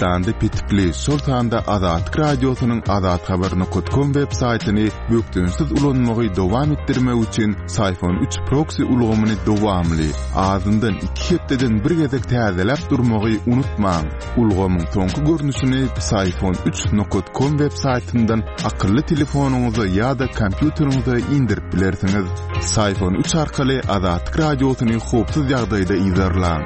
Türkmenistanda petikli, şol sanda Azatlyk Radiosynyň azathabar nokat kom web saýtyny bökdençsiz ulanmagy dowam etdirmek üçin Syfon üç proksi ulgamyny dowamly, azyndan iki hepdeden bir gezek täzeläp durmagy unutmaň. Ulgamyň soňky görnüşini Syfon üç nokat kom web saýtyndan akylly telefonyňyza ýa-da kompýuteriňize indirip bilersiňiz. Syfon üç arkaly Azatlyk Radiosyny howpsuz ýagdaýda yzarlaň.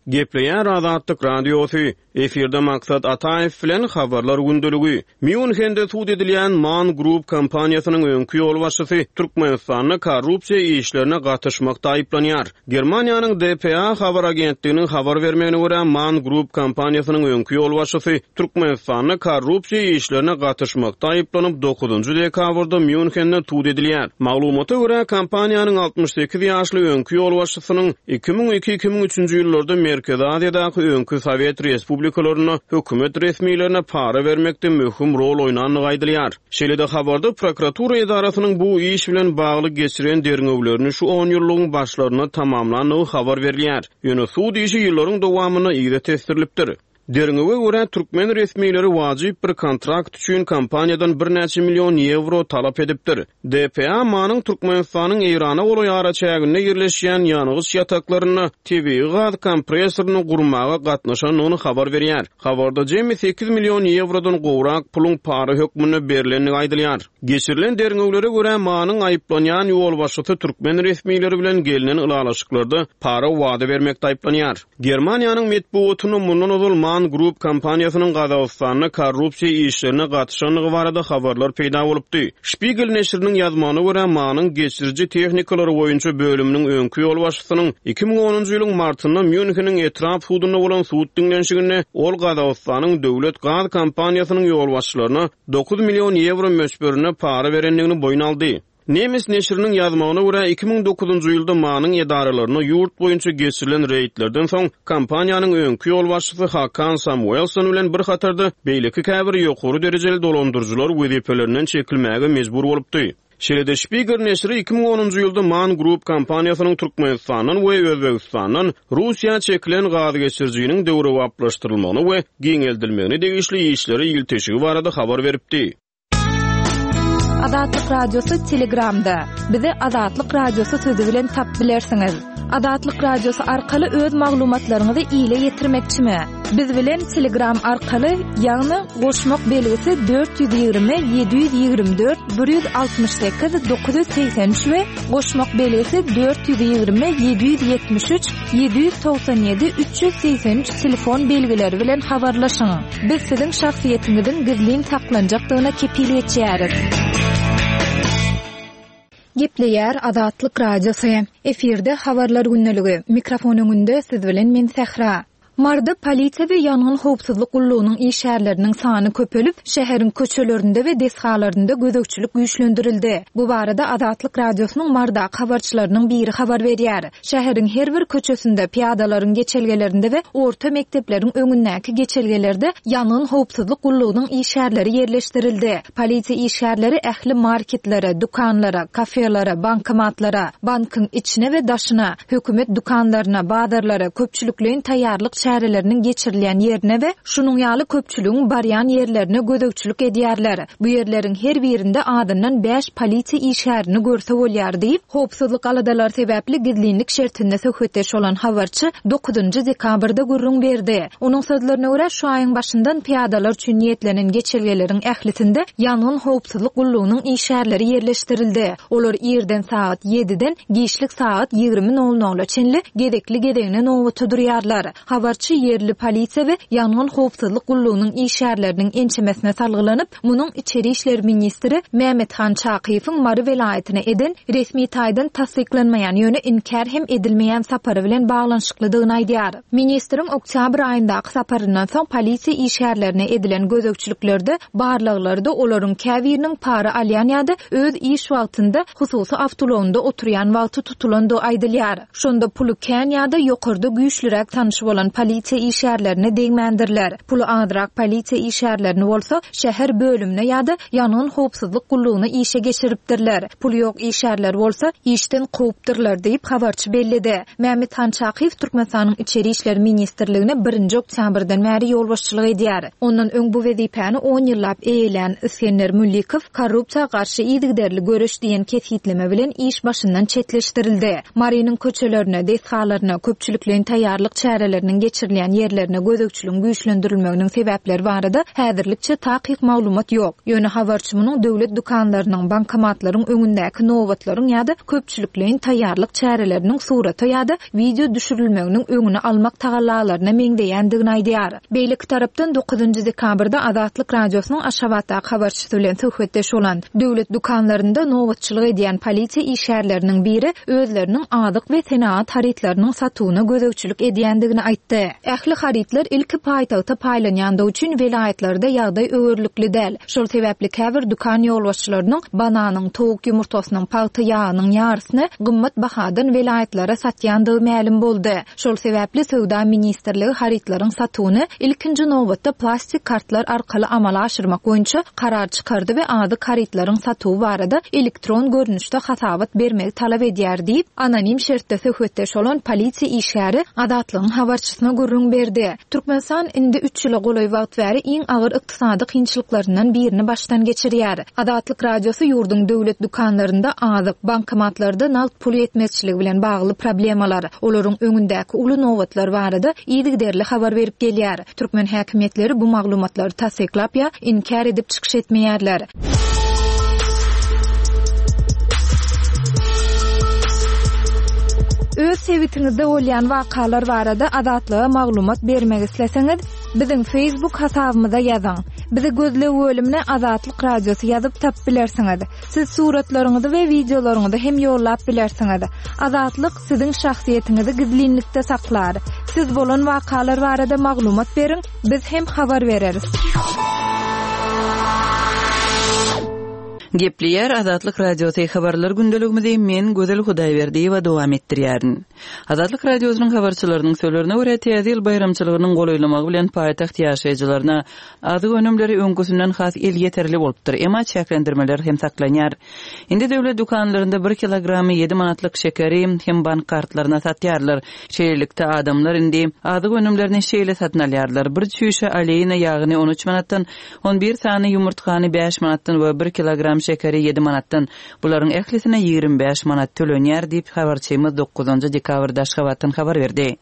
Gepleýär Azatlyk Radiosy, Efirde Maksat Ataýew bilen Habarlar gündeligi. Mýunhende sud edilýän Man Group kompaniýasynyň öňki ýolbaşçysy Türkmenistanda korrupsiýa işlerine gatyşmakda aýyplanýar. Germaniýanyň dpa habar agentliginiň habar bermegine görä, Man Group kompaniýasynyň öňki ýolbaşçysy Türkmenistanda korrupsiýa işlerine gatyşmakda aýyplanyp, dokuzynjy dekabrda Mýunhende sud edilýär. Maglumata görä, kompaniýanyň 68 ýaşly öňki ýolbaşçysynyň 2002, 2003-nji ýyllarda Merkezi Aziýadaky öňki sowet respublikalarynda hökümet resmilerine para bermekde möhüm rol oýnandygy aýdylýar. Şeýle-de habarda prokuratura edarasynyň bu iş bilen bagly geçiren derňewlerini şu onýyllygyň başlarynda tamamlandygy habar berilýär. Ýöne sud işi ýyllaryň dowamynda yza tesdirilipdir. Derňewe görä, türkmen resmileri wajyp bir kontrakt üçin kompaniýadan birnäçe million ýewro talap edipdir. DPA MAN-yň Türkmenistanyň Eýrana golaý araçäginde ýerleşýän ýangyç ýataklarynda tebigy gaz kompressoryny gurmaga gatnaşandygyny habar berýär. Habarda jemi sekiz million ýewrodan gowrak puluň para hökmünde berlendigi aýdylýar. Geçirilen derňewlere görä, MAN-yň aýyplanýan ýolbaşçysy türkmen resmileri bilen gelnen ylalaşyklarda para wada bermekde aýyplanýar. Germaniýanyň metbugatynda mundan ozal Man Group kompaniýasynyň Gazagystanda korrupsiýa işlerine gatyşandygy barada habarlar peýda bolupdy. Spiegel neşiriniň ýazmagyna görä, MAN-yň geçiriji tehnikalary boýunça bölüminiň öňki ýolbaşçysynyň 2010-njy ýylyň martynda Mýunheniň etrap sudunda bolan sud diňlenişiginde ol Gazagystanyň döwlet gaz kompaniýasynyň ýolbaşçylaryna dokuz million ýewro möçberinde para berendigini boýun aldy. Nemes neşiriniň ýazmagyna görä, 2009-njy ýylda MAN-yň edaralarynda ýurt boýunça geçirilen reýdlerden soň, kompaniýanyň öňki ýolbaşçysy Hakan Samuelson bilen bir hatarda beýleki käbir ýokary derejeli dolandyryjylar wezipelerinden çekilmäge mejbur bolupdy. Şeýle-de Spiegel neşiri 2010-njy ýylda man Group kompaniýasynyň Türkmenistandan we Özbegistandan Russiýa çekilen gazgeçirijiniň döwrebaplaşdyrylmagyna we giňeldilmegine degişli işlere ilteşigi barada habar beripdi. Azatlyk Radiosy Telegramda. Bizi Azatlyk Radiosy sözi bilen tap bilersiňiz. Azatlyk Radiosy arkaly öz maglumatlaryňyzy ile ýetirmekçimi? Biz bilen Telegram arkaly, ýagny goşmak belgisi 420 724 168 983 we goşmak belgisi 420 773 797 383 telefon belgileri bilen habarlaşyň. Biz siziň şahsyýetiňiziň gizlin saklanjakdygyna kepil geçýäris. Gepleýär Azatlyk Radiosy. Efirde Habarlar gündeligi. Mikrofon öňünde siz bilen men Sähra. Maryda polisiýa we ýangyn howpsuzlyk gullugynyň işgärleriniň sany köpelip, şäheriň köçelerinde we desgalarynda gözegçilik güýçlendirildi. Bu barada Azatlyk Radiosynyň Marydaky habarçylarynyň biri habar berýär. Şäheriň her bir köçesinde, pyýadalaryň geçelgelerinde we orta mekdepleriň öňündäki geçelgelerde ýangyn howpsuzlyk gullugynyň işgärleri ýerleşdirildi. Polisiýa işgärleri ähli marketlere, dükanlara, kafelere, bankomatlara, bankyň içine we daşyna, hökümet dükanlaryna, bazarlara, köpçülikleýin taýýarlyk çäreleriniň geçirilýän ýerine we şunuň ýaly köpçüligiň barýan ýerlerine gözegçilik edýärler. Bu ýerleriň her birinde azyndan bäş polisiýa işgärini görse bolýar diýip, howpsuzlyk aladalary sebäpli gizlinlik şertinde söhbetdeş bolan habarçy dokuzynjy dekabrda gürrüň berdi. Onuň sözlerine görä, şu aýyň başyndan pyýadalar üçin niýetlenen geçelgeleriň ählisinde ýangyn howpsuzlyk gullugynyň işgärleri ýerleşdirildi. Olar irden sagat ýediden giçlik sagat 20 nol nola çenli gezekli-gezegine nobata durýarlar. Habarçy ýerli polisiýa we ýangyn howpsuzlyk gullugynyň işgärleriniň ençemesine salgylanyp, munuň içeri işler ministri Mämethan Çakyýewiň Mary welaýatyna eden, resmi taýdan tassyklanmaýan, ýöne inkär hem edilmeýän sapary bilen baglanyşyklydygyny aýdýar. Ministriň oktýabr aýyndaky saparyndan soň polisiýa işgärlerine edilen gözegçiliklerde, barlaglarda olaryň käbiriniň para alýan ýa-da öz iş wagtynda hususy awtoulagynda oturýan wagty tutulandygy aýdylýar. Şonda puly kän ýa-da ýokarda güýçlüräk tanyşy bolan. polisiýa işgärlerine degmändirler. Puly azrak polisiýa işgärlerini bolsa şäher bölümine ýa-da ýangyn howpsuzlyk gullugyna işe geçiripdirler. Puly ýok işgärleri bolsa işden kowupdyrlar diýip, habarçy belledi. Mämmethan Çakyýew Türkmenistanyň Içeri işler ministrligine birinji oktýabrdan bäri ýolbaşçylyk edýär. Ondan öň bu wezipäni on ýyllap eýelän Isgender Müllikow korrupsiýa garşy yzygiderli göreş diýen kesgitleme bilen iş başyndan çetleşdirildi. Marynyň köçelerine, desgalaryna, köpçülikleýin taýýarlyk çäreleriniň geçirilýän ýerlerine gözegçiligiň güýçlendirilmeginiň sebäpleri barada häzirlikçe takyk maglumat ýok. Ýöne habarçy munuň döwlet dükanlarynyň, bankomatlaryň öňündäki nobatlaryň ýa-da köpçülikleýin taýýarlyk çäreleriniň surata ýa-da wideo düşürilmeginiň öňüni almak tagallalaryna meňzeýändigini aýdýar. Beýleki tarapdan, dokuzynjy dekabrda Azatlyk Radiosynyň Aşgabatdaky habarçysy bilen söhbetdeş bolan, döwlet dükanlarynda nobatçylyk edýän polisiýa işgärleriniň biri özleriniň azyk we senagat harytlarynyň satuwyna gözegçilik edýändigini aýtdy. Ähli harytlar ilki paýtagta paýlanýandygy üçin welaýatlarda ýagdaý öwerlikli däl. Şol sebäpli käbir dükan ýolbaşçylarynyň bananyň, towuk ýumurtgasynyň, pagta ýagynyň ýarysyny gymmat bahadan welaýatlara satýandygy mälim boldy. Şol sebäpli Söwda ministrligi harytlaryň satuwyny ilkinji nobatda plastik kartlar arkaly amala aşyrmak boýunça karar çykardy we azyk harytlaryň satuwy barada elektron görnüşde hasabat bermegi talap edýär diýip, anonim şertde söhbetdeş bolan polisiýa işgäri Azatlygyň habarçysyna gürrüň berdi. Türkmenistan indi üç ýyla golaý wagt bäri iň agyr ykdysady kynçylyklaryndan birini başdan geçirýär. Azatlyk Radiosy ýurduň döwlet dükanlarynda azyk, bankomatlarda nagt pul ýetmezçiligi bilen bagly problemalar, olaryň öňündäki uly nobatlar barada yzygiderli habar berip gelýär. Türkmen häkimiýetleri bu maglumatlary tassyklap ýa inkär edip çykyş etmeýärler. Öz sebitiňizde bolýan wakalar barada Azatlyga maglumat bermek isleseňiz, biziň Facebook hasabymyza ýazyň. Bizi gözleg bölümine Azatlyk Radiosy ýazyp tapyp bilersiňiz. Siz suratlaryňyzy we wideolaryňyzy hem ýollap bilersiňiz. Azatlyk siziň şahsyýetiňizi gizlinlikde saklar. Siz bolan wakalar barada maglumat beriň, biz hem habar bereris. Gepleýär Azatlyk Radiosy Habarlar gündeligimizi men Gözel Hudaýberdiýewa dowam etdirýärin. Azatlyk Radiosynyň habarçylarynyň sözlerine görä, Täze ýyl baýramçylygynyň golaýlamagy bilen paýtagt ýaşaýjylaryna azyk önümleri öňküsinden has elýeterli bolupdyr, emma çäklendirmeler hem saklanýar. Indi döwlet dükanlarynda bir kilogramy ýedi manatlyk şekeri hem bank kartlaryna satýarlar. Şeýlelikde, adamlar indi azyk önümlerini şeýle satyn alýarlar, bir çüýşe oleýna ýagyny on üç manatdan, on bir sany ýumurtgany bäş manatdan we bir kilogram şekeri ýedi manatdan. Bularyň ählisine 25 manat tölenýär diýip, habarçymyz dokuzynjy dekabrda Aşgabatdan habar berdi.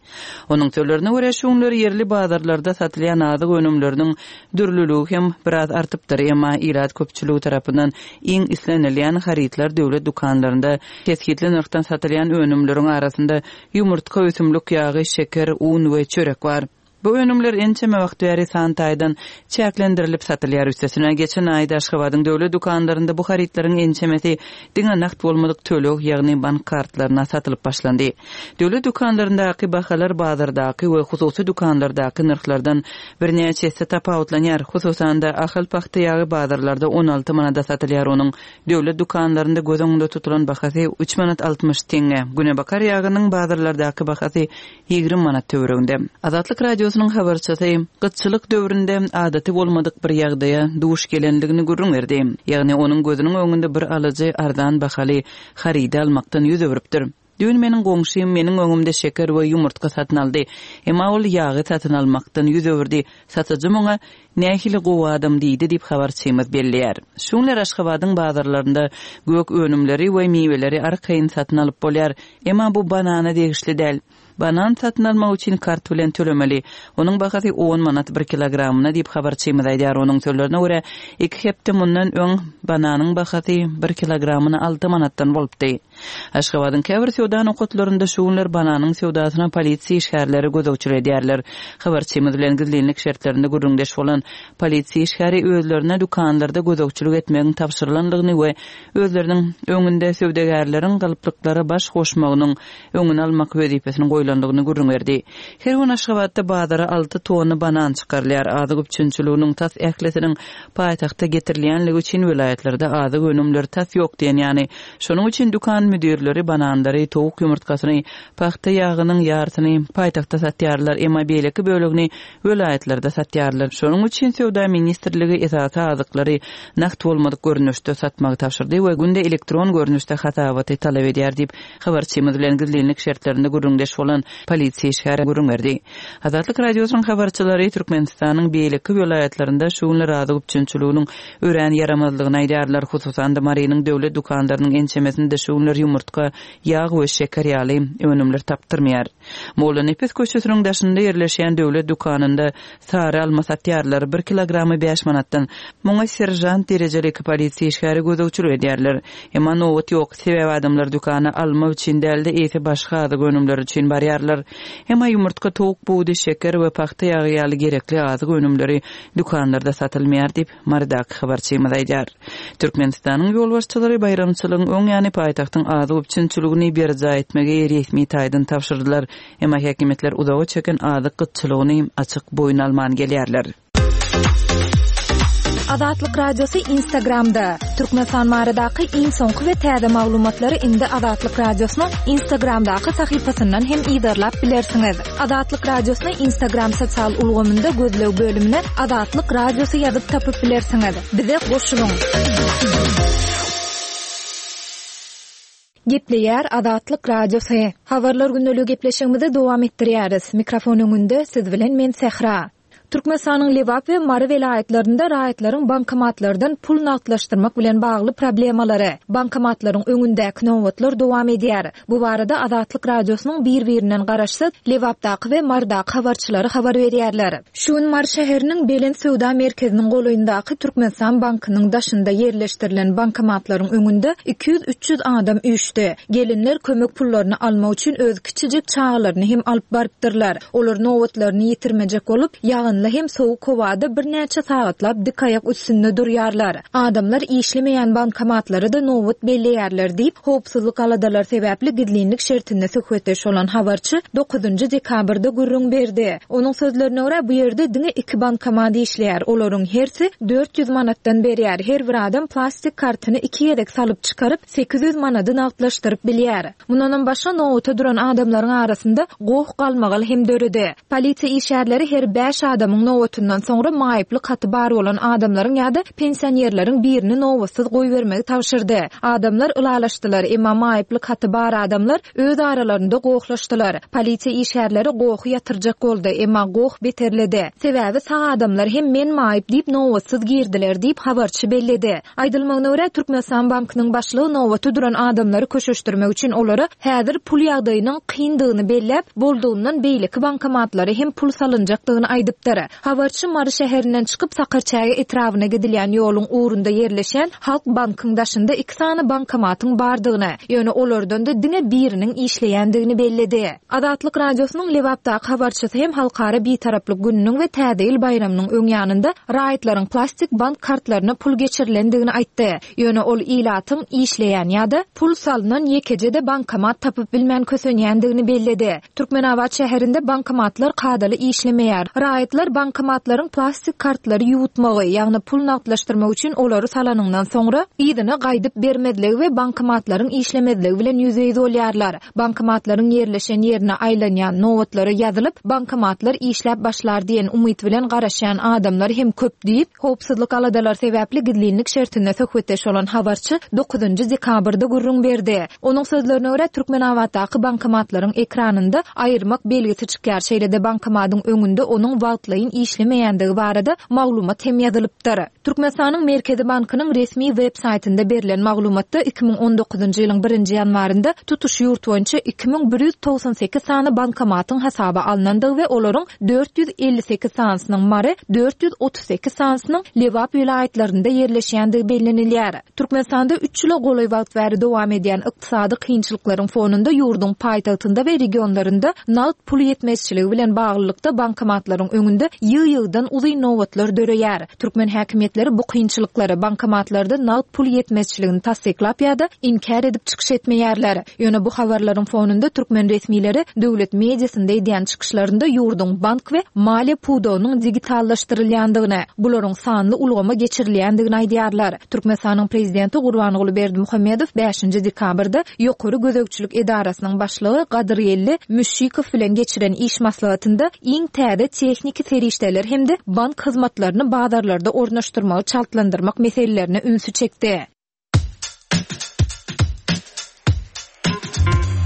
Onuň sözlerine görä, şu günler ýerli bazarlarda satylýan azyk önümleriniň dürlüligi hem biraz artypdyr, emma ilat köpçüligi tarapyndan iň islenilýän harytlar döwlet dükanlarynda kesgitli nyrhdan satylýan önümleriň arasynda ýumurtga, ösümlik ýagy, şeker, un we çörek bar. Bu önümler ençeme wagt bäri san taýdan çäklendirilip satylýar. Üstesine, geçen aýda Aşgabadyň döwlet dükanlarynda bu harytlaryň ençemesi diňe nagt bolmadyk töleg, ýagny bank kartlaryna satylyp başlandy. Döwlet dükanlaryndaky bahalar bazardaky we hususy dükanlardaky nyrhlardan birnäçe esse tapawutlanýar. Hususan-da, Ahal pagta ýagy bazarlarda 16 manada satylýar, onuň döwlet dükanlarynda göz öňünde tutulan bahasy üç manat 60 teňňe. Günebakar ýagynyň bazarlardaky bahasy 20 manat töwereginde. Azatlyk Radiosynyň habarçysy gytçylyk döwründe adaty bolmadyk bir ýagdaýa duş gelendigini gürrüň berdi. Ýagny onuň gözüniň öňünde bir alyjy arzan bahaly harydy almakdan ýüz öwrüpdir. Düýn meniň goňşym meniň öňümde şeker we ýumurtga satyn aldy. Emma ol ýagy satyn almakdan ýüz öwürdi. Satyjy muňa, Nähili gowy adam diýdi diýip, habarçymyz belleýär. Şu günler Aşgabadyň bazarlarynda gök önümleri we miweleri arkaýyn satyn alyp bolýar. Emma bu banana degişli däl. Banan satyn almak üçin kart bilen tölemeli. Onuň bahasy on manat bir kilogramyna diýip, habarçymyz aýdýar. Onuň sözlerine görä, iki hepde mundan öň bananyň bahasy bir kilogramyna alty manatdan bolupdy. Aşgabadyň käbir söwda nokatlarynda şu günler bananyň söwdasyna polisiýa işgärleri gözegçilik edýärler. Habarçymyz bilen gizlinlik şertlerinde gürrüňdeş bolan polisiýa işgäri özlerine dükanlarda gözegçilik etmegiň tabşyrylandygyny we özleriniň öňünde söwdagärleriň galplyklara baş goşmagynyň öňüni almak wezipesiniň goýlandygyny. goýlandygyny gürrüň berdi. Her gün Aşgabatda bazara alty tonna banan çykarylýar. Azyk üpjünçiliginiň tas ählisiniň paýtagta getirilýänligi üçin welaýatlarda azyk önümleri tas ýok diýen ýaly. Şonuň üçin dükan müdirleri bananlary, towuk ýumurtgasyny, pagta ýagynyň ýarsyny paýtagtda satýarlar, emma beýleki bölegini welaýatlarda satýarlar. Şonuň üçin Söwda ministrligi esasy azyklary nagt bolmadyk görnüşde satmagy tabşyrdy we günde elektron görnüşde hasabaty talap edýär diýip, habarçymyz bilen gizlinlik şertlerinde gürrüňdeş bolan polisiýa işgäri gürrüň berdi. Azatlyk Radiosynyň habarçylary Türkmenistanyň beýleki welaýatlarynda şu günler azyk üpjünçiliginiň örän ýaramazlygyny aýdýarlar. Hususan-da, Marynyň döwlet dükanlarynyň ençemesinde şu günler ýumurtga, ýag we şeker ýaly önümler tapdyrmaýar. Mollanepes köçesiniň daşynda ýerleşýän döwlet dükanynda sary alma satýarlar, bir kilogramy bäş manatdan. Muňa seržant derejeli iki polisiýa işgäri gözegçilik edýärler. Emma nobat ýok, sebäbi adamlar dükana alma üçin däl-de, eýse başga azyk önümleri üçin barýarlar. Emma ýumurtga, towuk budy, şeker we pagta ýagy ýaly gerekli azyk önümleri dükanlarda satylmaýar diýip, Marydaky habarçymyz aýdýar. Türkmenistanyň ýolbaşçylary baýramçylygyň öň ýany paýtagtyň azyk üpjünçiligini berjaý etmegi resmi taýdan tabşyrdylar. Emma häkimiýetler uzaga çeken azyk gytçylygyny açyk boýun alman gelýärler. Azatlyk Radiosy Instagramda, Türkmenistan baradaky iň soňky we täze maglumatlary indi Azatlyk Radiosynyň Instagramdaky sahypasyndan hem yzarlap bilersiňiz. Azatlyk Radiosyny Instagram sosial ulgamynda gözleg bölümine Azatlyk Radiosy ýazyp tapyp bilersiňiz. Bize goşulyň! Gepleýär Azatlyk Radiosy. Habarlar gündeligi gepleşigimizi dowam etdirýäris. Mikrofon öňünde siz bilen men Sähra. Türkmenistanyň Lebap we Mary welaýatlarynda raýatlaryň bankomatlardan pul nagtlaşdyrmak bilen bagly problemalary, bankomatlaryň öňündäki nobatlar dowam edýär. Bu barada Azatlyk Radiosynyň bir-birinden garaşsyz Lebapdaky we Marydaky habarçylary habar berýärler. Şu gün Mary şäheriniň Belent söwda merkeziniň golaýyndaky Türkmenistan bankynyň daşynda ýerleşdirilen bankomatlaryň öňünde 200-300 adam üýşdi. Gelinler kömek pullaryny almak üçin öz kiçijik çagalaryny hem alyp barypdyrlar. Olar nobatlaryny ýitirmejek bolup, ýagynly hem sowuk howada birnäçe sagatlap dik aýak üstünde durýarlar. Adamlar işlemeýän bankomatlara-da nobat belleýärler diýip, howpsuzlyk aladalary sebäpli gizlinlik şertinde söhbetdeş bolan habarçy dokuzynjy dekabrda gürrüň berdi. Onuň sözlerine görä, bu ýerde diňe iki bankomat işleýär, olaryň hersi 400 manatdan berýär, her bir adam plastik kartyny iki gezek salyp çykaryp, 800 manady nagtlaşdyryp bilýär. Mundanam başga nobata duran adamlaryň arasynda goh-galmagal hem döredi. Polisiýa işgärleri her bäş adamyň nobatyndan soňra maýyplyk haty bar bolan adamlaryň ýa-da pensionerleriň birini nobatsyz goýbermegi tabşyrdy. Adamlar ylalaşdylar, emma maýyplyk haty bar adamlar öz aralarynda gohlaşdylar. Polisiýa işgärleri gohy ýatyrjak boldy, emma goh beterledi. Sebäbi sag adamlar hem men maýyp diýip nobatsyz girdiler diýip, habarçy belledi. Aýdylmagyna görä, Türkmenistan bankynyň başlygy nobata duran adamlary köşeşdirmek üçin olara häzir pul ýagdaýynyň kyndygyny belläp, boldugyndan beýleki bankomatlara hem pul salynjakdygyny aýdypdyr. Habarçy Mary şäherinden çykyp, Sakarçäge etrabyna gidilýän ýoluň ugrunda ýerleşýän Halk bankyň daşynda iki sany bankomatyň bardygyny, ýöne olardan-da diňe biriniň işleýändigini belledi. Azatlyk Radiosynyň Lebapdaky habarçysy hem Halkara Bitaraplyk gününiň we Täze ýyl baýramynyň öň ýanynda raýatlaryň plastik bank kartlaryna pul geçirilendigini aýtdy. Ýöne ol ilatyň işleýän ýa-da pul salnan ýekeje-de bankomat tapyp bilmän kösenýändigini belledi. Türkmenabat şäherinde bankomatlar kadaly işlemeýär. Raýatlar bankomatlaryň plastik kartlary ýuwutmagy, ýagny pul nagtlaşdyrmak üçin olary salanyňdan soňra, yzyna gaýdyp bermezligi we bankomatlaryň işlemezligi bilen ýüzbe-ýüz bolýarlar. Bankomatlaryň ýerleşen ýerine aýlanýan, nobatlara ýazylyp, bankomatlar işläp başlar diýen umyt bilen garaşýan adamlar hem köp diýip, howpsuzlyk aladalary sebäpli gizlinlik şertinde söhbetdeş bolan habarçy dokuzynjy dekabrda gürrüň berdi. Onuň sözlerine görä, Türkmenabatdaky bankomatlaryň ekranynda aýyrmak belgisi çykýar, şeýle-de bankomatyň öňünde onuň wagtlaýyn işlemeýändigi barada maglumat hem ýazylypdyr. Türkmenistanyň Merkezi bankynyň resmi web saýtynda berlen maglumatda 2019-njy ýylyň birinji ýanwarynda tutuş ýurt boýunça 2198 sany bankomatyň hasaba alnandygy we olaryň 458 sanysynyň Mary, 438 sanysynyň Lebap welaýatlarynda ýerleşýändigi bellenilýär. Türkmenistanda üç ýyla golaý wagt bäri dowam edýän ykdysady kynçylyklaryň fonunda ýurduň paýtagtynda we regionlarynda nagt pul ýetmezçiligi bilen baglylykda bankomatlaryň öňünde. bankomatlarda ýygy-ýygydan uzyn nobatlar döreýär. Türkmen häkimiýetleri bu kynçylyklary, bankomatlarda nagt pul ýetmezçiligini tassyklap ýa-da inkär edip çykyş etmeýärler. Ýöne bu habarlaryň fonunda türkmen resmileri döwlet mediasynda edýän çykyşlarynda ýurduň bank we maliýe pudagynyň digitallaşdyrylýandygyny, bularyň sanly ulgama geçirilýändigini aýdýarlar. Türkmenistanyň prezidenti Gurbanguly Berdimuhamedow bäşinji dekabrda Ýokary gözegçilik edarasynyň başlygy Gadyrgeldi Müşşikow bilen geçiren iş maslahatynda iň täze tehniki serişdeler hem-de bank hyzmatlaryny bazarlarda ornaşdyrmagy çaltlandyrmak meselelerine ünsi çekdi.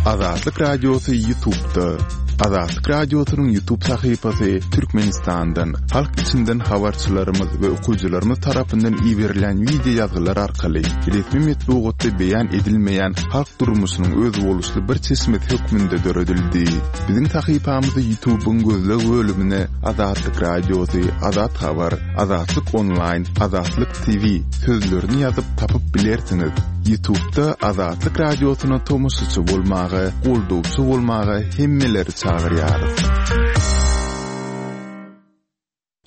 Azatlyk Radiosy YouTube'da. Azatlyk Radiosynyň YouTube sahypasy Türkmenistandan, halk içinden habarçylarymyz we okyjylarymyz tarapyndan iberilen wideo ýazgylar arkaly resmi metbugatda beýan edilmeýän halk durmuşynyň özboluşly bir çeşmesi hökmünde döredildi. Biziň sahypamyzy YouTube'yň gözleg bölümine Azatlyk Radiosy, Azat Habar, Azatlyk Onlaýn, Azatlyk TV sözlerini ýazyp tapyp bilersiňiz. Ýutubda Azatlyk Radiosyna tomaşaçy bolmaga, goldawçy bolmaga hemmeleri çagyrýarys.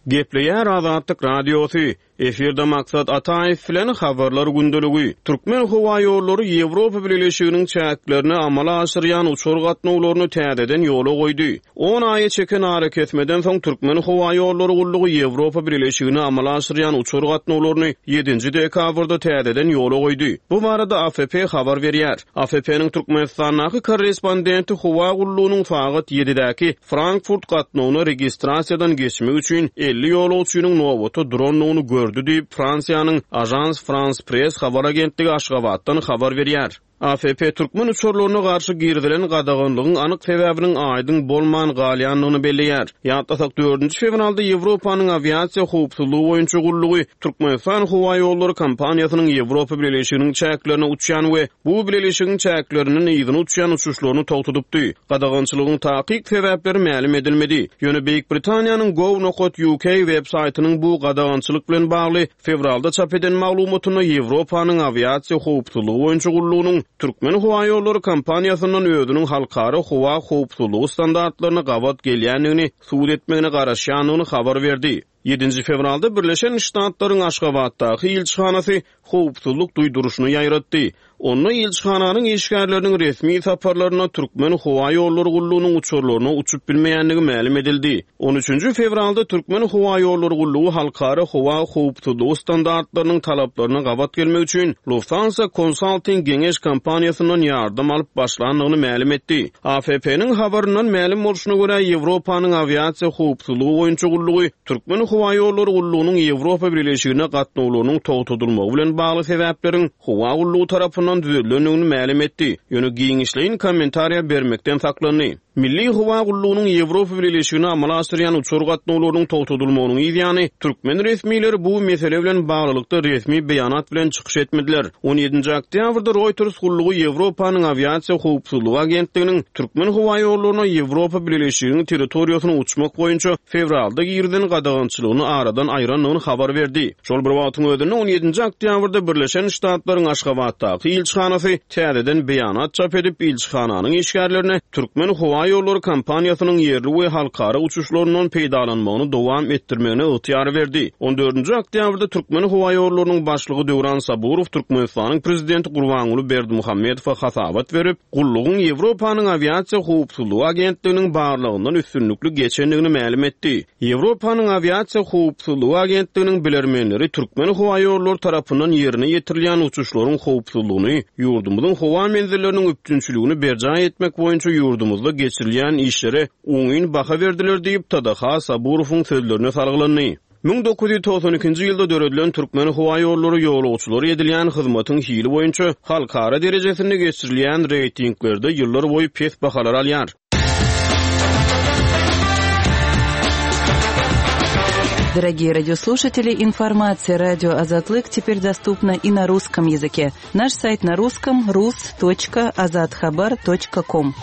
Gepleýär Azatlyk Radiosy, Efirde Maksat Ataýew bilen Habarlar gündeligi. Türkmenhowaýollary Ýewropa Bileleşiginiň çäklerine amala aşyrýan uçar gatnawlaryny täzeden ýola goýdy. On aýa çeken arakesmeden soň Türkmenhowaýollary gullugy Ýewropa Bileleşigine amala aşyrýan uçar gatnawlaryny ýedinji dekabrda täzeden ýola goýdy. Bu barada AFP habar berýär. AFP-niň Türkmenistandaky korrespondenti howa gullugynyň sagat ýedidäki Frankfurt gatnawyna registrasiýadan geçmek üçin 50 ýolagçynyň nobata durandygyny gördi diýip, Fransiýanyň Agence France-Presse habar agentligi Aşgabatdan habar berýär. AFP türkmen uçarlaryna garşy girizilen gadaganlygyň anyk sebäbiniň aýdyň bolman galýandygyny belleýär. Ýatlasak, dördünji fewralda Ýewropanyň awiasiýa howpsuzlygy boýunça gullugy Türkmenistan howaýollary kompaniýasynyň Ýewropa Bileleşiginiň çäklerine uçýan we bu bileleşigiň çäklerinden yzyna uçýan uçuşlaryny togtadypdy. Gadagançylygyň takyk sebäpleri mälim edilmedi. Ýöne Beýik Britaniýanyň gov nokat uk web saýtynyň bu gadagançylyk bilen bagly Fewralda çap eden maglumatynda Ýewropanyň awiasiýa howpsuzlygy boýunça gullugynyň Türkmenhowaýollary kompaniýasyndan özüniň halkara howa howpsuzlygy standartlaryna gabat gelýändigini subut etmegine garaşýandygyny habar berdi. Ýedinji fewralda Birleşen Ştatlaryň Aşgabatdaky ilçihanasy howpsuzlyk duýduryşyny ýaýratdy. Onda ilçihananyň işgärleriniň resmi saparlarynda Türkmenhowaýollary gullugynyň uçarlaryna uçup bilmeýändigi mälim edildi. On üçünji fewralda Türkmenhowaýollary gullugy halkara howa howpsuzlygy standartlarynyň talaplaryna gabat gelmek üçin Lufthansa Consulting geňeş kompaniýasyndan ýardam alyp başlandygyny mälim etdi. AFP-niň habaryndan mälim bolşuna görä, Ýewropanyň awiasiýa howpsuzlygy boýunça gullugy Türkmenhowaýollary gullugynyň Ýewropa Bileleşigine gatnawlarynyň togtadylmagy bilen bagly sebäpleriň howa gullugy tarapyndan düzedilendigini mälim etdi, ýöne giňişleýin kommentariýa bermekden saklandy. Milli howa gullugynyň Ýewropa Bileleşigine amala aşyrýan uçar gatnawlarynyň togtadylmagynyň yz ýany, türkmen resmileri bu mesele bilen baglylykda resmi beýanat bilen çykyş etmediler. On ýedinji oktýabrda Reuters gullugy Ýewropanyň awiasiýa howpsuzlygy agentliginiň Türkmenhowaýollaryna Ýewropa Bileleşiginiň territoriýasyna uçmak boýunça fewralda girizen gadagançylygyny aradan aýrandygyny habar berdi. Şol bir wagtyň özünde, on ýedinji oktýabrda Birleşen Ştatlaryň Aşgabatdaky ilçihanasy täzeden beýanat çap edip, ilçihananyň işgärlerine Türkmenhowaýollary kompaniýasynyň ýerli we halkara uçuşlaryndan peýdalanmagyny dowam etdirmegine ygtyýar berdi. On dördünji oktýabrda Türkmenhowaýollarynyň başlygy Döwran Saburow Türkmenistanyň Prezidenti Gurbanguly Berdimuhamedowa hasabat berip, gullugyň Ýewropanyň awiasiýa howpsuzlygy agentliginiň barlagyndan üstünlikli geçendigini mälim etdi. Ýewropanyň awiasiýa howpsuzlygy agentliginiň bilermenleri Türkmenhowaýollary tarapyndan ýerine ýetirilýän uçuşlaryň howpsuzlygyny, ýurdumyzyň howa menzilleriniň üpjünçiligini berjaý etmek boýunça ýurdumyzda geçirilýän işlere oňyn baha berdiler diýip, TDH Saburowyň sözlerine salgylandy. 1992-nji ýylda döredilen Türkmenhowaýollary ýolagçylara edilýän hyzmatyň hili boýunça halkara derejesinde geçirilýän reýtinglerde ýyllarboýy pes bahalary alýar. Дорогие радиослушатели, информация радио Азатлык теперь доступна и на русском языке. Наш сайт на русском rus.azathabar.com.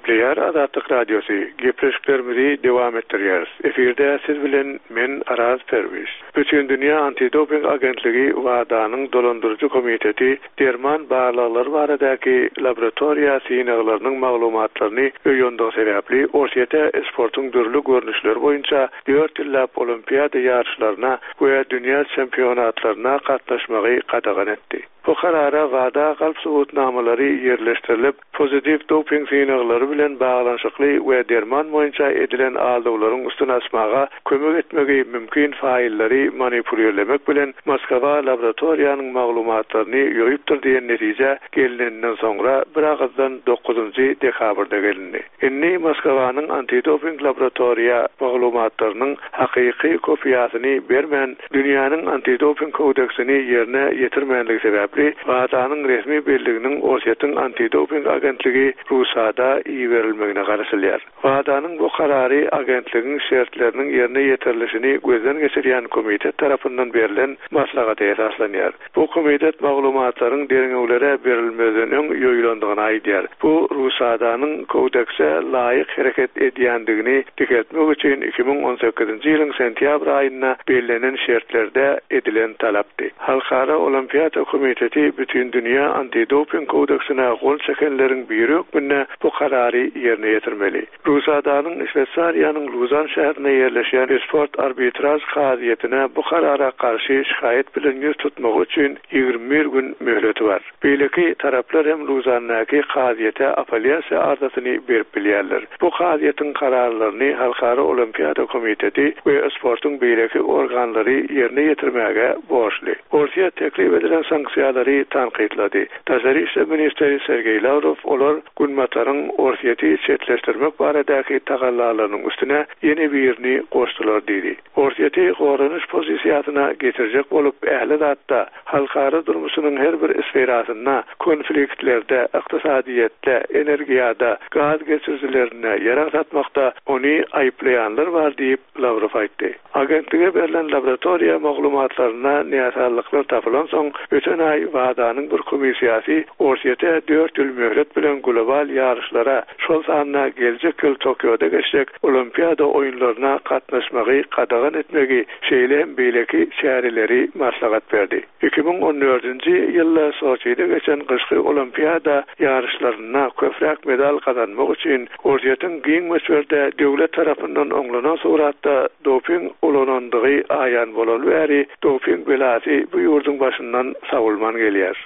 Gepleýär Azatlyk Radiosy, Gepleşiklerimizi dowam etdirýäris. Efirde siz bilen men Araz Perwiz. Bütindünýä antidoping agentligi WADA-nyň dolandyryjy komiteti derman barlaglary baradaky laboratoriýa synaglarynyň maglumatlaryny ýoýandygy sebäpli Orsýete sportuň dürli görnüşleri boýunça dört ýyllap olimpiada ýaryşlaryna we dünýä çempionatlaryna gatnaşmagy gadagan etdi. Bu karara WADA galp subutnamalary ýerleşdirilip, pozitiw doping synaglary bilen baglanyşykly we derman boýunça edilen aldawlaryň üstüni açmaga kömek etmegi mümkin faýllary manipulirlemek bilen Moskwa laboratoriýanyň maglumatlaryny ýoýupdyr diýen netijä gelineninden soňra biragyzdan dokuzynjy dekabrda gelindi. Indi Moskwanyň antidoping laboratoriýa maglumatlarynyň hakyky kopiýasyny bermän, Dünýäniň antidoping kodeksini ýerine ýetirmänligi sebäpli, WADA-nyň resmi belliginiň Orsýetiň antidoping agentligi RUSADA iberilmegine garaşylýar. WADA-nyň bu karary agentligiň şertleriniň ýerine ýetirilişini gözden geçirýän komitet tarapyndan berlen maslahata esaslanýar. Bu komitet maglumatlaryň derňewlere berilmezden öň ýoýulandygyny aýdýar. Bu RUSADA-nyň kodekse laýyk hereket edýändigini dikeltmek üçin 2018-nji ýylyň sentýabr aýynda bellenen şertlerde edilen talapdy. Halkara Olimpiada komiteti Bütindünýä antidoping kodeksine gol çekenleriň biri hökmünde bu karary ýerine ýetirmeli. RUSADA-nyň Şweýsariýanyň Luzan şäherinde ýerleşýän Sport arbitraž kazyýetine bu karara garşy şikaýat bilen ýüz tutmagy üçin 21 gün möhleti bar. Beýleki taraplar hem Luzandaky kazyýete apellýasiýa arzasyny berip bilýärler. Bu kazyýetiň kararlaryny Halkara Olimpiada komiteti we sportuň beýleki organlary ýerine ýetirmäge borçly. Orsýet teklip edilen sanksiýalary tankytlady. Daşary işler ministri Sergeý Lawrow olar Günbataryň Orsýeti çetleşdirmek baradaky tagallalarynyň üstüne ýene birini goşdular diýdi. Orsýeti goranyş pozisiýasyna getirjek bolup ähli zatda, halkara durmuşynyň her bir sferasynda, konfliktlerde, ykdysadyýetde, energiýada, gaz geçirijilerinde, ýarag satmakda ony aýyplaýanlar bar diýip, Lawrow aýtdy. Agentlige berlen laboratoriýa maglumatlarynda näsazlyklar tapylansoň, öten aý WADA-nyň bir komissiýasy Orsýete dört ýyl möhlet bilen global ýaryşlara, şol sanda geljek ýyl Tokioda geçjek Olimpiada oýunlaryna gatnaşmagy gadagan etmegi, şeýle hem beýleki çäreleri maslahat berdi. 2014-nji ýylda Soçide geçen gyşky Olimpiada ýaryşlarynda köpräk medal gazanmak üçin Orsýetiň giň möçberde döwlet tarapyndan oňlanan suratda doping ulanandygy aýan bolaly bäri doping belasy bu ýurduň başyndan sowulman gelýär.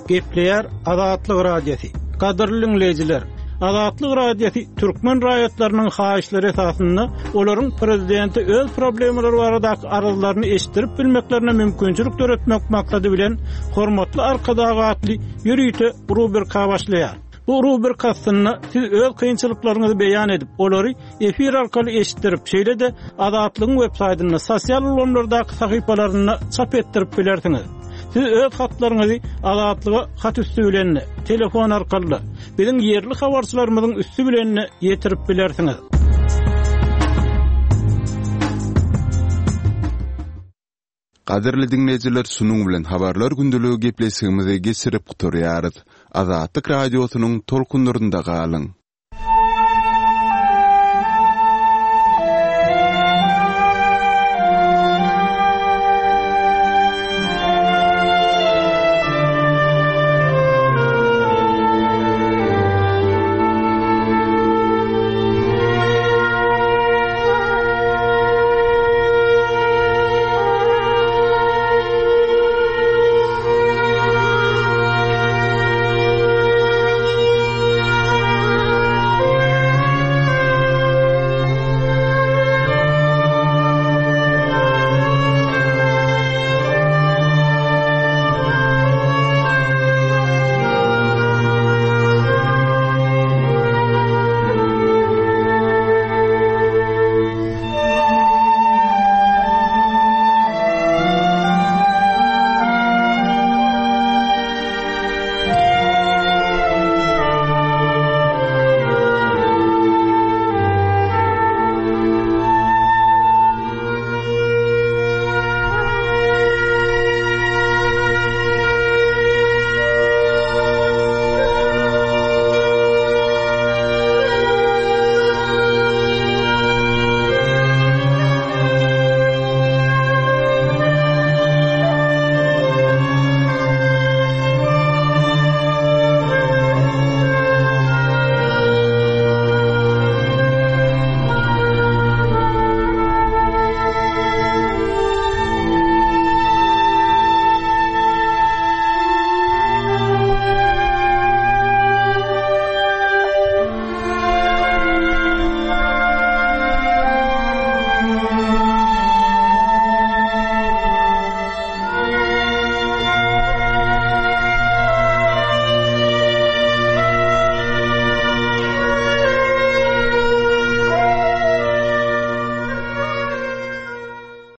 Gepleýär Azatlyk Radiosy. Gadyrly diňleýjiler, Azatlyk Radiosy türkmen raýatlarynyň haýyşlary esasynda olaryň prezidente öz problemalary baradaky arzlaryny eşitdirip bilmeklerine mümkinçilik döretmek maksady bilen Hormatly Arkadag atly ýörite rubrika başlaýar. Bu rubrika astynda siz öz kynçylyklaryňyzy beýan edip, olary efir arkaly eşitdirip, şeýle-de Azatlygyň web saýtynda, sosial ulgamlardaky sahypalarynda çap etdirip bilersiňiz. Siz öz hatlaryňyzy Azatlyga hat üsti bilen-de, telefon arkaly-da, biziň ýerli habarçylarymyzyň üsti bilen-de ýetirip bilersiňiz. Gadyrly diňleýjiler şunuň bilen habarlar gündeligi gepleşigimizi geçirip gutarýarys. Azatlyk Radiosynyň tolkunlarynda galyň!